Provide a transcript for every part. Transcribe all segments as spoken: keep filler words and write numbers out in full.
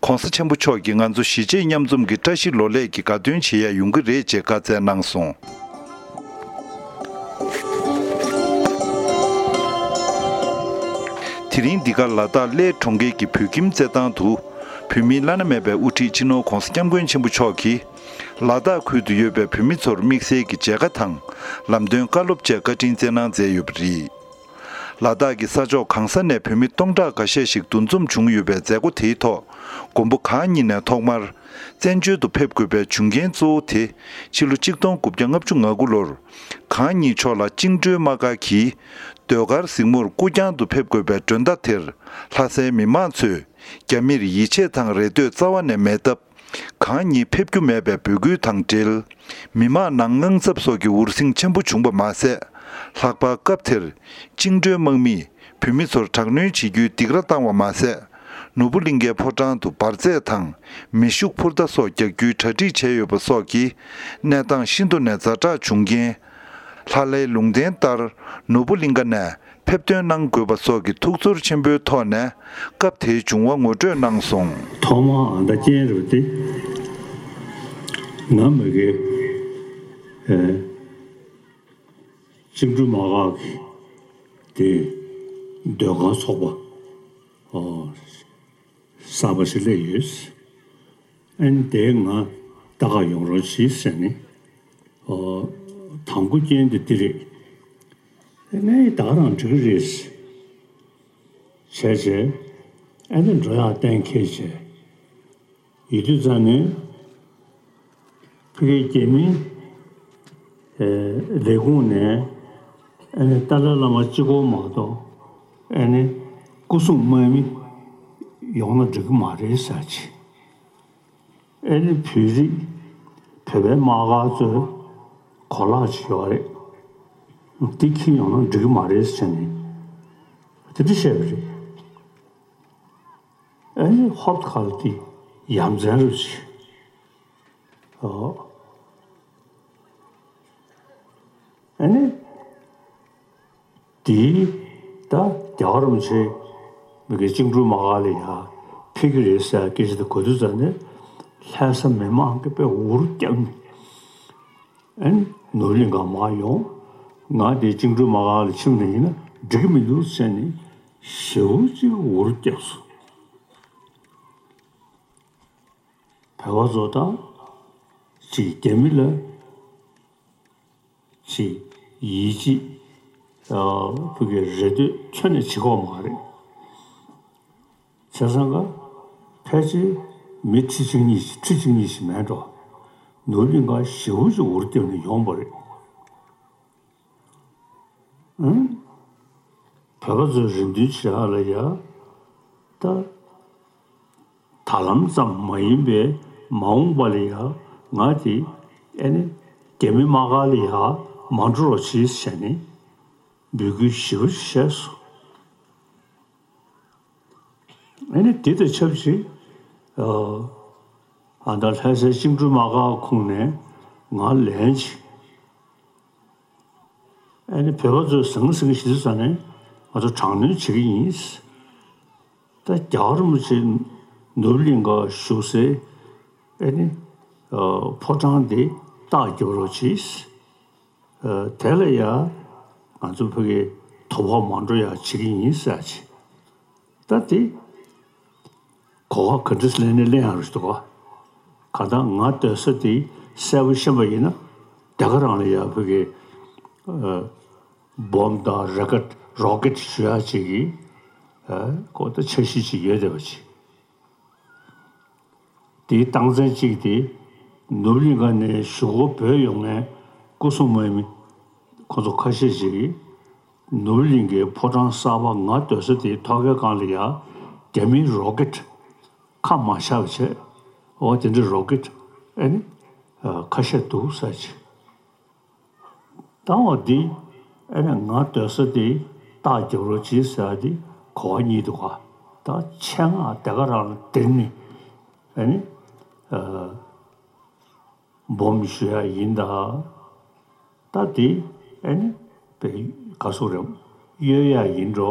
༸གོང་ས་༸ཆེན་པོ་མཆོག་གིས་ང་ཚོ་གཞིས་བྱེས་མཉམ་འཛོམས་ཀྱི་བཀྲ་ཤིས་ལོ་ལེགས་ཀྱི་དགའ་སྟོན་བྱེད་ཡ་ཡོང་གི་རེད་ཅེས་བཀའ་སྩལ་གནང་སོང་། དེ་རིང་འདི་ག་ལ་དྭགས་གླེ་གྲོང་ཁྱེར་གྱི་བོད་ཁྱིམ་རྩེད་ཐང་དུ། བོད་མིའི་བླ་ན་མེད་པའི་དབུ་ཁྲིད་སྤྱི་ནོར་༸གོང་ས་༸སྐྱབས་མགོན་ཆེན་པོ་མཆོག་གིས། ལ་དྭགས་ཁུལ་དུ་ཡོད་པའི་བོད་མི་ཚོར་དམིགས་བསལ་གྱི་མཇལ་ཁ་དང་། ལམ་སྟོན་བཀའ་སློབ་བཅས་བཀའ་དྲིན་སྩལ་གནང་མཛད་ཡོད་པ་རེད། ལ་དྭགས་ཀྱི་ས་ཕྱོགས་གང་ས་ནས་བོད་མི་སྟོང་ཕྲག་འགའ་ཤས་ཤིག་འདུ་འཛོམས་བྱུང་ཡོད་པའི་མཛད་སྒོ་དེའི་ཐོག་མགོན་པོ་གང་ཉིད་ནས་ཐོག་མར། བཙན་བྱོལ་དུ་ཕེབས་དགོས་པའི་བྱུང་རྐྱེན་གཙོ་བོ་དེ། ཕྱི་ལོ་ཆིག་སྟོང་དགུ་བརྒྱ་ལྔ་བཅུ་ང་དགུ་ལོར། གང་ཉིད་མཆོག་ལ་བཅིངས་འགྲོལ་དམག་སྒར་གྱིས། ཟློས་གར་གཟིགས་མོར་སྐུ་རྐྱང་དུ་ཕེབས་དགོས་པའི་མགྲོན་བརྡ་དེར། ལྷ་སའི་མི་མང་ཚོས། རྒྱ་མིར་ཡིད་ཆེས་དང་རེ་ལྟོས་རྩ་བ་ནས་མེད་སྟབས། གང་ཉིད་ཕེབས་རྒྱུ་མེད་པའི་འབོད་སྐུལ་དང་འབྲེལ། མི་མང་ནང་དངངས་འཚབ་སོགས་ཀྱི་འུར་ཟིང་ཆེན་པོ་བྱུང་བ་མ་ཟད། ལྷག་པར་སྐབས་དེར། བཅིངས་འགྲོལ་དམག་མིས་བོད་མི་ཚོར་དྲག་གནོན་བྱེད་རྒྱུའི་སྡིགས་ར་བཏང་བ་མ་ཟད། ནོར་བུ་གླིང་ཁའི་ཕོ་བྲང་དུ་འབར་རྫས་དང་། མེ་ཤུགས་འཕུར་མདའ་སོགས་རྒྱག་རྒྱུའི་གྲ་སྒྲིག་བྱས་ཡོད་པ་སོགས་ཀྱིས། གནས་སྟངས་ཤིན་ཏུ་ནས་ཛ་དྲག་བྱུང་རྐྱེན། ལྷ་ལའི་ལུང་བསྟན་ལྟར། ནོར་བུ་གླིང་ཁ་ནས། ཕེབས་ཐོན་གནང་དགོས་པ་སོགས་ཀྱི་ཐུགས་ཚོར་ཆེན་པོའི་ཐོག་ནས་སྐབས་དེའི་བྱུང་བ་ངོ་སྤྲོད་གནང་སོང་། ཐོག་མར་ཨ་མདའ་རྐྱེན་རེད་དེ། ང་མ་གི་ཨེ་བཅིངས་འགྲོལ་དམག་སྒར་གྱི་དེ་ཟློས་གར་ཚོགས་པ་ཨོ་གསར་པ་ཞིག་སླེབས་ཡོད། ཨ་ནི་དེ་ང་ལྟ་ག་ཡོང་རོགས་གྱིས་ཟེར་ནས། ཨོ། དང་པོ་རྐྱེན་དེ་འདི་རེད། ཨ་ནི་ད་ག་རང་འགྲིག་གི་རེད། བྱས་བྱས། ཨ་ནི་འགྲོ་ཡག་གཏན་འཁེལ་བྱས། ཡིན་དུས་ཙང་ནས། ཕ་གིའི་རྒྱ་མིའི་ལས་ཁུངས་ནས་ཨ་ནི་ཏཱ་ལའི་བླ་མ་གཅིག་པོ་མ་གཏོགས་ཨ་ནི་སྐུ་སྲུང་དམག་མི་ཡོང་ན་འགྲིག་གི་མ་རེད་ཟེར་གྱི། ཨ་ནི་བོད་རིགས་བོད་པའི་དམག་སྒར་ཚོས་གོ་ལག་ཅིག་ཡོད་རེད། འདི་འཁྱེར་ཡོང་ན་འགྲིག་གི་མ་རེད་ཟེར་ནས་དེ་འདྲ་བཤད་པ་རེད། ཨ་ནི་ཧོབ་ཁ་ལ་དེ་ཡ་མཚན་རུ་ཆེ། ཨོ། ཨ་ནི། དེའི་ད་རྒྱལ་བ་རིན་པོ་ཆེ་མི་གི་བཅིངས་འགྲོལ་དམག་སྒར་ལ་ཡ་ཕེབས་ཀྱི་རེད་ཟེར་སྐད་ཆ་དེ་གོ་དུས་ཙང་ནས་ལྷ་ས་མི་མང་གིས་དཔེ་འུར་བརྒྱབ་ནས། ཨན། ནོར་གླིང་ག་མར་ཡོང་། ང་དེ་བཅིངས་འགྲོལ་དམག་སྒར་ལ་ཕྱིན་ནས་ཡིན་ན་འགྲིག་གི་མི་འདུག་ཟེར་ནས་ཞེ་པོ་ཅིག་འུར་བརྒྱབ་སོང་། བོད་པ་ཚོ་དང་ཅིག་རྒྱ་མི་ལ་ཅིག་ཡིད་ཆེས་ཨ་ཕ་གི་རེ་ལྟོས་ཁྱོན་ནས་བྱེད་ཀྱི་ཡོད་མ་རེད། བྱས་ཙང་ཀ་ཕལ་ཆེར་མི་ཁྲི་གཅིག་གཉིས་ཤིག་ཁྲི་གཅིག་གཉིས་ཤིག་མེད་འགྲོ། ནོར་གླིང་ག་ཞེ་པོ་ཅིག་འུར་བརྒྱབ་ནས་ཡོང་བ་རེད། ཨང་། བོད་པ་ཚོའི་རེ་འདུན་བྱེད་ཡག་ལ་ཡ། ད། ད་ལམ་ཙམ་མ་ཡིན་པའི་མ་འོངས་པ་ལ་ཡ་ང་དེ་ཨེ་ནི་རྒྱ་མི་དམག་སྒར་ལ་ཡ་མ་འགྲོ་རོགས་བྱེད་ཟེར་ནས་འབོད་སྐུལ་ཞེ་པོ་ཞིག་བྱས་སོང་། ཨེ་ནི་དེ་དང་ཆབས་ཅིག་ཨ་ད་ལྷ་སའི་བཅིངས་འགྲོལ་དམག་སྒར་ཁོངས་ནས་ང་ལན་ཅིག་ཨ་ནི་བོད་པ་ཚོས་ཟང་ཟིང་ཞིག་ཟ་ནས་ང་ཚོ་དྲག་གནོན་བྱེད་ཀྱི་ཡིན། ད་རྒྱལ་བ་རིན་པོ་ཆེ་ནོར་བུ་གླིང་ག་བཞུགས་སའི་ཨ་ནི་ཕོ་བྲང་དེ་རྟགས་རྒྱབ་རོགས་གྱིས། དེ་ལ་ཡ་ང་ཚོ་ཕ་གི་དོ་ཕོག་མ་འགྲོ་ཡ་བྱེད་ཀྱི་ཡིན་ཟེར་ཅིག་ད་དེ། གོ་བ་ག་འདྲས་ལེན་ནས་ལེན་ཡག་རེད་འདུག་ག་གང་ལྟར་ང་སྡོད་ས་དེ་གསལ་པོ་ཤེས་པ་ཡིན་ན་དེ་ག་རང་ལ་ཡ་ཕ་གི་ཨ་སྦོམ་དང་རོ་ཀེཊ་རོ་ཀེཊ་ཞུ་ཡག་ཅིག་གི་ཨ་ཁོ་ད་འཆར་གཞི་ཅིག་ཡོད་བསྡད་པ་ཅིག་དེའི་རྟགས་མཚན་གཅིག་དེ་ནོར་གླིང་ག་ནས་གཞུག་གུ་བོད་ཡོང་མཁན་སྐུ་སྲུང་དམག་མི་ཁོ་ཚོ་ཁ་ཤས་ཅིག་གིས། ནོར་གླིང་གི་ཕོ་བྲང་གསར་པ་ང་སྡོད་ས་དེའི་ཐོག་ཁའི་སྒང་ལ་ཡ་རྒྱ་མིའི་རོ་ཀེཊ་ཁ་མ་བཞག་པ་བྱས། འོ་དེ་འདྲའི་རོ་ཀེཊ་ཨེ་ནི་ཁ་ཤས་འདུག་ཟེར་ཅིག་ད་འོ་འདི་ཨེ་ནི་ང་སྡོད་ས་དེ་རྟགས་རྒྱབ་རོགས་གྱིས་ཟེར་བ་འདི་གོ་བ་གཉིས་འདུག་ག་ད་ཆེད་མངགས་དེ་ག་རང་ལ་དེར་ནི་ཨེ་ནི། སྦོམ་ཞུ་ཡག་ཡིན་ད། ད་དེ་ཨེ་ནི་པའི་ག་སུ་རེད། གཡོལ་ཡག་ཡིན་འགྲོ།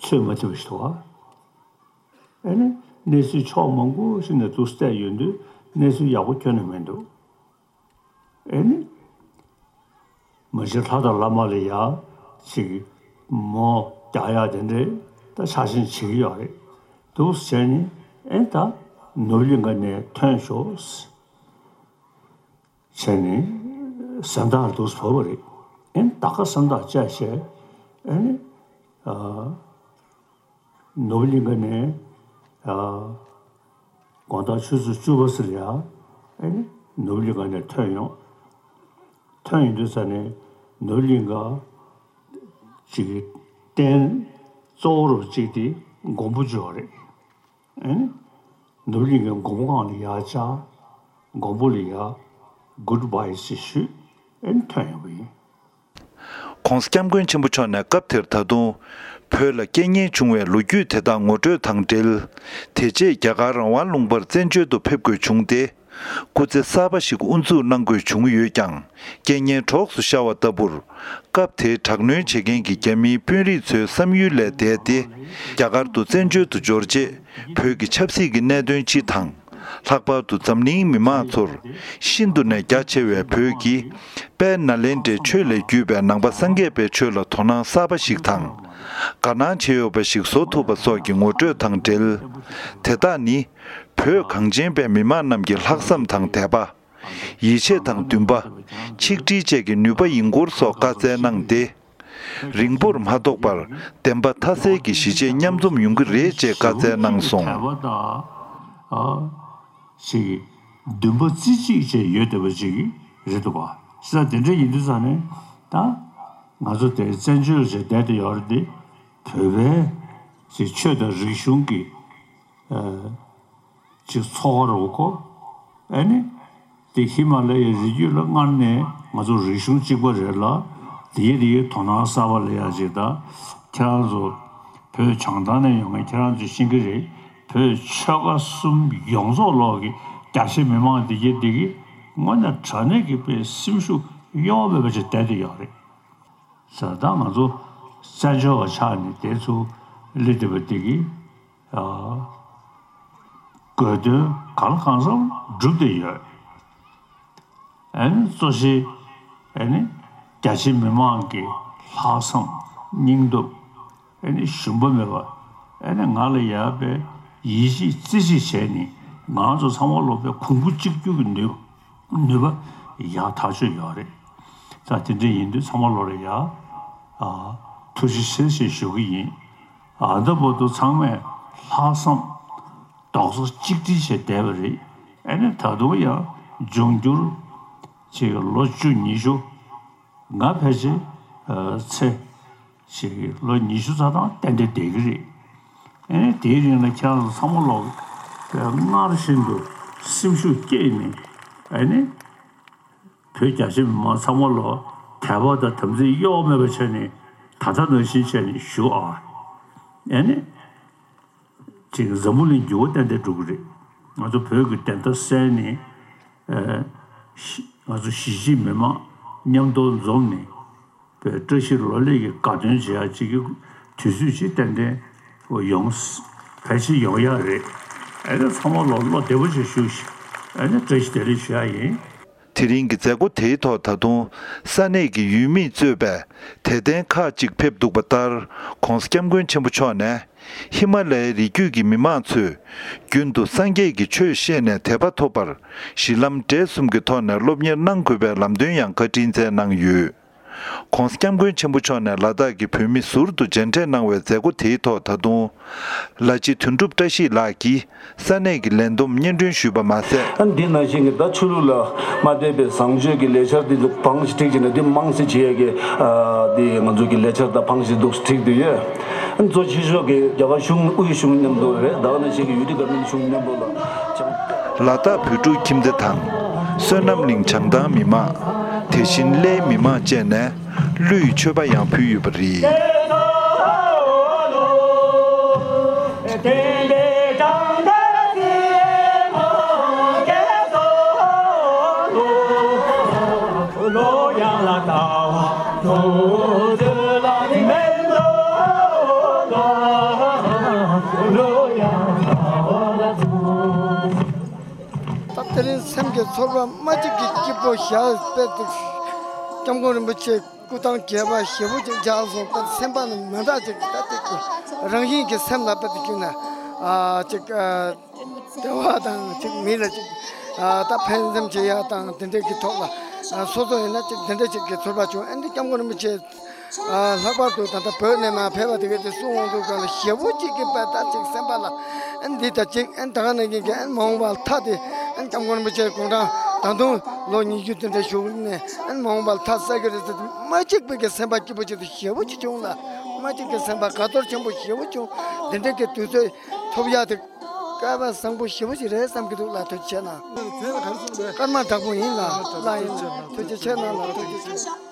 ཚོད་མ་ཐིག་པ་ཞིག་འདུག་ག་ཨེ་ནི་ གནས་ཚུལ་ཕྱོགས་མང་པོ་ཞིག་ནས་འདུག་བལྟས་ཡོང་དུས་གནས་ཚུལ་ཡག་པོ་ཁྱོན་ནས་མི་འདུག་ཨེ་ནི། མ་གཞི་ལྷ་དང་བླ་མ་ལ་ཡ་ཅིག་མོ་རྒྱག་ཡ་དེ་འདྲས་ད་ཆ་ཤས་བྱེད་ཀྱི་ཡོད་རེད། འདུག་བྱས་ནས་ཨེ་ད་ནོར་གླིང་ག་ནས་ཐོན་ཤོག་བྱས་ནས་སེམས་ཐག་འདུག་བོར་བ་རེད། ཨེ་ད་ག་སེམས་ཐག་བཅད་བྱས་ཨེ་ནི། ནོར་གླིང་ག་ནས་དགོང་དག་ཆུ་ཚོད་བཅུ་པ་ཟེར་ཡ་ཨེ་ནི་ནོར་གླིང་ག་ནས་ཐོན་ཡོང་། ཐོན་ཡོང་དུས་ས་ནས་ནོར་གླིང་ག་ཅིག་གི་རྟེན་གཙོ་བོ་རུ་གཅིག་དེ་མགོན་པོ་ཅིག་ཡོད་རེད། ཨེ་ནི་ནོར་གླིང་གི་མགོན་པོ་སྒང་ལ་ཡ་བཅར། མགོན་པོ་ལ་ཡ་གུཌ་བྷའི་ཞེས་ཞུས། ཨེ་ནི་ཐོན་ཡོང་བ་ཡིན། ༸གོང་ས་༸སྐྱབས་མགོན་ཆེན་པོ་མཆོག་ནས་སྐབས་དེར་ད་དུང་བོད་ལ་རྐྱེན་ངན་བྱུང་བའི་ལོ་རྒྱུས་དེ་དག་ངོ་སྤྲོད་དང་འབྲེལ། དེ་རྗེས་རྒྱ་གར་རང་དབང་ལུང་པར་བཙན་བྱོལ་དུ་ཕེབས་དགོས་བྱུང་སྟེ། སྐུ་ཚེ་གསར་པ་ཞིག་དབུ་འཛུགས་གནང་དགོས་བྱུང་ཡོད་ཀྱང་རྐྱེན་ངན་གྲོགས་སུ་ཤར་བ་ལྟ་བུར། སྐབས་དེའི་དྲག་གནོན་བྱེད་མཁན་གྱི་རྒྱ་མིའི་དཔོན་རིགས་ཚོའི་བསམ་ཡུལ་ལས་འདས་ཏེ། རྒྱ་གར་དུ་བཙན་བྱོལ་དུ་འབྱོར་རྗེས་བོད་ཀྱི་ཆབ་སྲིད་ཀྱི་གནད་དོན་སྤྱི་དང་། ལྷག་པར་དུ་འཛམ་གླིང་མི་མང་ཚོར་ཤིན་ཏུ་ནས་རྒྱ་ཆེ་བའི་བོད་ཀྱི་དཔལ་ནཱ་ལེནྡྲའི་ཆོས་ལས་བརྒྱུད་པའི་ནང་པ་སངས་རྒྱས་པའི་ཆོས་ལ་དོ་སྣང་གསར་པ་ཞིག་དང་། དགའ་སྣང་བྱེད་འོས་པ་ཞིག་བཟོ་ཐུབ་པ་སོགས་ཀྱི་ངོ་སྤྲོད་དང་འབྲེལ། དེ་དག་ནི་བོད་གངས་ཅན་པའི་མི་མང་རྣམས་ཀྱི་ལྷག་བསམ་དང་དད་པ། ཡིད་ཆེས་དང་འདུན་པ། ཆིག་སྒྲིལ་བཅས་ཀྱི་ནུས་པ་ཡིན་སྐོར་སོགས་བཀའ་སྩལ་གནང་སྟེ། རིང་པོར་མ་ཐོགས་པར་བདེན་པ་མཐའ་གསལ་གྱི་གཞིས་བྱེས་མཉམ་འཛོམས་ཡོང་གི་རེད་ཅེས་བཀའ་སྩལ་གནང་སོང་། དད་པ་དང་། ཨ། ཅིག་འདུན་པ་རྩེ་གཅིག་བཅས་ཡོད་བསྡད་པ་ཅིག་རེད་འདུག་པ། ས་དེ་འདྲ་ཡིན་དུས་ཙང་ནས་ད་ང་ཚོ་དེ་བཙན་བྱོལ་ཞིག་བསྡད་དེ་ཡོད་རེད་དེ། བོད་པའི་ཅིག་ཆོས་དང་རིག་གཞུང་གི་ཨ། ཅིག་འཚོ་བ་རོལ་གོ། ཨེ་ནི། དེ་ཧི་མ་ལ་ཡའི་རི་རྒྱུད་ལ་སྔར་ནས་ང་ཚོ་རིག་གཞུང་གཅིག་པ་རེད་ལ། དེའི་རིགས་དོ་སྣང་གསར་པ་ལ་ཡ་ཅིག་དང་། ཁྱེད་རང་ཚོ་བོད་བྱང་ཐང་ནས་ཡོང་མཁན་ཁྱེད་རང་ཚོས་ཤེས་ཀྱི་རེད། བོད་ཆོལ་ཁ་གསུམ་ཡོངས་རྫོགས་ལོག་གི་རྒྱ་ཆེ་མི་མང་དེ་གྱད་དེ་གི་དངོས་གནས་དྲང་གནས་ཀྱི་དཔེ་སེམས་ཤུགས་གཡོ་བ་མེད་པ་ཅིག་བསྡད་དེ་ཡོད་རེད། ས་ད་ང་ཚོ་བཙན་བྱོལ་བ་ཆགས་ནས་དེ་ཚོ་སླེབས་བསྡད་པ་དེ་གི། ཨ། དགོས་དོན་གང་ལ་གང་འཚམ་འགྲུབ་བསྡད་ཡོད། ཨ་ནི་གཙོ་ཆེ་ཨ་ནི་རྒྱ་ཆེ་མི་མང་གི་ལྷག་བསམ་སྙིང་སྟོབས་ཨ་ནི་ཞུམ་པ་མེད་པ་ཨ་ནི་ང་ལ་ཡག་པའི་ཡིད་ཆེས་རྩེ་གཅིག་བྱས་ནས་ང་ཚོ་ཚང་མ་ལོག་པའི་གོང་བུ་གཅིག་གྱུར་གྱི་ནུས་པ། ནུས་པ་ཡག་ཐག་ཆོད་ཡོད་རེད། ད་དེ་འདྲ་ཡིན་དུས་ཚང་མ་ལོག་ལ་ཡ། ཨ། ཐུགས་རྗེ་ཆེ་ཞེས་ཞུ་གི་ཡིན། ཨ། ད་བར་དུ་ཚང་མས་ལྷག་བསམ་རྡོག་རྩ་གཅིག་སྒྲིལ་བྱས་བསྡད་པ་རེད། ཨ་ནི་ད་དུང་ཡང་འབྱུང་འགྱུར་ཅིག་ལོ་བཅུ་ཉི་ཤུ། ང་ཕལ་ཆེར་ཨ་ཚེ་ཞིག་ལོ་ཉི་ཤུ་རྩ་གྲངས་ཏན་ཏན་བསྡད་ཀྱི་རེད། ཨ་ནི་དེའི་རིང་ལ་ཁྱེད་རང་ཚོ་ཚང་མ་ལོག་སྔར་བཞིན་དུ་སེམས་ཤུགས་བསྐྱེད་ནས་ཨ་ནི་བོད་རྒྱ་ཆེ་མི་མང་ཚང་མ་ལོག་དད་པ་དང་དམ་ཚིག་གཡོ་བ་མེད་པ་བྱས་ནས་ད་ལྟ་ནང་བཞིན་བྱས་ནས་བཞུགས་ཨ། ཨ་ནི་ཅིག་འཛམ་བུ་གླིང་འགྱུར་བ་ཏན་ཏན་འགྲོ་གི་རེད། ང་ཚོ་བོད་ཀྱི་བདེན་མཐའ་གསལ་ནས་ཨ་ཤི་ང་ཚོ་གཞིས་བྱེས་མི་མང་མཉམ་དུ་འཛོམས་ནས། བོད་བཀྲ་ཤིས་ལོ་ལེགས་ཀྱི་དགའ་སྟོན་བྱེད་ཡག་ཅིག་གི་དུས་ཚོད་ཅིག་ཏན་ཏན་ཡོང་། ཕལ་ཆེར་ཡོང་ཡག་རེད། ཨ་ནི་ཚང་མ་ལོ་བློ་བདེ་པོ་ཞིག་བཞུགས་ཤིག་ཨ་ནི་བཀྲ་ཤིས་བདེ་ལེགས་ཞུ་ཡག་ཡིན། དེ་རིང་གི་མཛད་སྒོ་དེའི་ཐོག་ད་དུང་ས་གནས་ཀྱི་ཡུལ་མིས་གཙོས་པའི་དད་ལྡན་ཁག་ཅིག་ཕེབས་འདུག་པ་ལྟར། ༸གོང་ས་༸སྐྱབས་མགོན་ཆེན་པོ་མཆོག་ནས་ཧི་མ་ལ་ཡའི་རི་རྒྱུད་ཀྱི་མི་མང་ཚོས་རྒྱུན་དུ་སངས་རྒྱས་ཀྱི་ཆོས་བཤད་ནས་དད་པ་ཐོབ་པར་གཞི་ལམ་འབྲས་གསུམ་གྱི་ཐོག་ནས་སློབ་གཉེར་གནང་དགོས་པའི་ལམ་སྟོན་ཡང་བཀའ་དྲིན་སྩལ་གནང་ཡོད། ༸གོང་ས་༸སྐྱབས་མགོན་ཆེན་པོ་མཆོག་ནས་ལ་དྭགས་ཀྱི་བོད་མི་ཟུར་དུ་མཇལ་འཕྲད་གནང་བའི་མཛད་སྒོ་དེའི་ཐོག་ད་དུང་། ལ་སྤྱི་དོན་གྲུབ་བཀྲ་ཤིས་ལགས་ཀྱིས་ས་གནས་ཀྱི་ལས་བསྡོམས་སྙན་སྒྲོན་ཞུས་པ་མ་ཟད། ཨ་ནི་འདི་ནང་བཞིན་གྱི་ད་ཆོས་ལུགས་ལ་མ་དད་པའི་བཟང་སྤྱོད་ཀྱི་ལས་འཆར་འདི་ཚོ་བང་ཞིག་བསྒྲིགས་བྱས་ནས་འདི་མང་སེ་བྱེད་ཡས་ཀྱི་ཨ་འདི་ང་ཚོ་གི་ལས་འཆར་དང་བང་ཞིག་འདུག་བསྒྲིགས་བསྡད་ཡོད། ཨ་ནི་གཙོ་ཆེ་ཤོས་ཀྱི་རྒྱ་གར་གཞུང་དབུས་གཞུང་མཉམ་དུ་རེད། ད་ག་ནང་བཞིན་གྱི་ཡུ་ཊི་ག་མིན་གཞུང་མཉམ་དུ་ལ་བྱང་། ལ་དྭགས་བོད་ཕྲུག་ཁྱིམ་སྡེ་དང་། བསོད་ནམས་གླིང་བྱང་ཐང་མི་མང་། དེ་བཞིན་གླེའི་མི་མང་བཅས་ནས་གླུ་ཡི་མཆོད་པ་ཡང་ཕུལ་ཡོད་པ་རེད། དེ་རིང་སེམས་ཀྱི་ཚོར་བ་མ་གཅིག་གི་སྐྱིད་པོ་ཞག་དཔེ་དེ་སྐྱབས་མགོན་རིན་པོ་ཆེ་སྐུ་ཐང་རྒྱས་པ་ཞེ་པོ་ཅིག་འཇགས་སོང་། ད་སེམས་པ་ནི་མི་འདྲ་ཅིག་ད་ཅིག་རང་བཞིན་གྱི་སེམས་ལ་དཔེ་དེ་བྱུང་ན་ཨ་ཅིག་ཨ་བདེ་བ་དང་ཅིག་མི་ལ་ཅིག་ཨ་ད་ཕན་སེམས་བྱེད་ཡ་དང་དེ་འདྲས་ཀྱི་ཐོག་ལ་ཨ་སོ་སོ་ཡིན་ན་ཅིག་དེ་འདྲས་ཅིག་གི་ཚོར་བ་བྱུང་། ཨ་ནི་སྐྱབས་མགོན་རིན་པོ་ཆེ། ཨ་ལྷག་པར་དུ་ད་ལྟ་བོད་ནས་མར་ཕེབས་པ་དེ་གའི་དེ་གསུང་དབང་དུ་གང་ལ་ཞེ་པོ་གཅིག་གི་དཔེ་ད་ཅིག་སེམས་པ་ལ་ཨ་འདི་ད་ཅིག་ཨ་ད་ག་ནང་བཞིན་གྱི་ཨ་མ་འོངས་པ་ལ་ཐ་དེ་ཨ་སྐྱབས་མགོན་རིན་པོ་ཆེ་དགུང་གྲངས་ད་དུང་ལོ་ཉི་ཤུ་དེ་འདྲ་བཞུགས་ནས་ཨ་མ་འོངས་པ་ལ་ཐ་ཟེར་གི་རེད་ཟེར་དུས་མ་གཅིག་པའི་གི་སེམས་པ་སྐྱིད་པོ་ཅིག་དང་ཞེ་པོ་ཅིག་བྱུང་ལ། མ་གཅིག་གི་སེམས་པ་དགའ་ཚོར་ཆེན་པོ་ཞེ་པོ་བྱུང་། དེ་འདྲའི་གི་དུས་ཚོད་ཐོབ་ཡག་དེ་སྐལ་བ་བཟང་པོ་ཞེ་པོ་ཅིག་རེད་བསམ་གྱི་འདུག་ལ། ཐུགས་རྗེ་ཆེ་གནང་། ཀརྨ་དྲག་པོ་ཡིན་ལ། ལ་ཡིན། ཐུགས་རྗེ་ཆེ་གནང་ལ། ཐུགས་རྗེ་ཆེ།